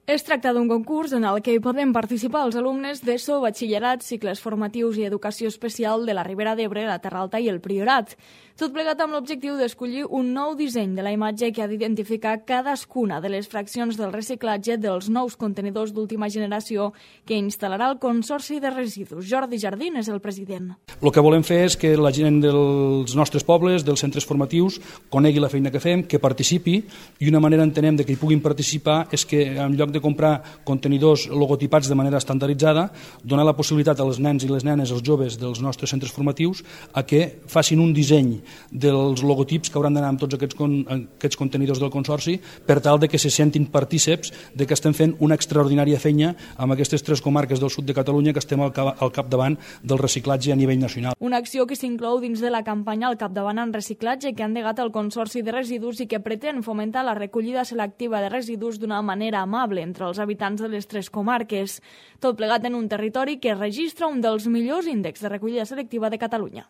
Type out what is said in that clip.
Es tracta d'un concurs en el que hi poden participar els alumnes d'ESO, batxillerat, cicles formatius i educació especial de la Ribera d'Ebre, la Terra Alta i el Priorat. Tot plegat amb l'objectiu d'escollir un nou disseny de la imatge que ha d'identificar cadascuna de les fraccions del reciclatge dels nous contenidors d'última generació que instal·larà el Consorci de Residus. Jordi Jardín és el president. El que volem fer és que la gent dels nostres pobles, dels centres formatius, conegui la feina que fem, que participi, i una manera entenem de que hi puguin participar és que en lloc de comprar contenidors logotipats de manera estandarditzada, donar la possibilitat als nens i les nenes, als joves dels nostres centres formatius, a que facin un disseny dels logotips que hauran d'anar amb tots aquests contenidors del Consorci, per tal de que se sentin partíceps de que estem fent una extraordinària feina amb aquestes 3 comarques del sud de Catalunya que estem al capdavant del reciclatge a nivell nacional. Una acció que s'inclou dins de la campanya Al capdavant en reciclatge que ha endegat el Consorci de Residus i que pretén fomentar la recollida selectiva de residus d'una manera amable entre els habitants de les 3 comarques. Tot plegat en un territori que registra un dels millors índexs de recollida selectiva de Catalunya.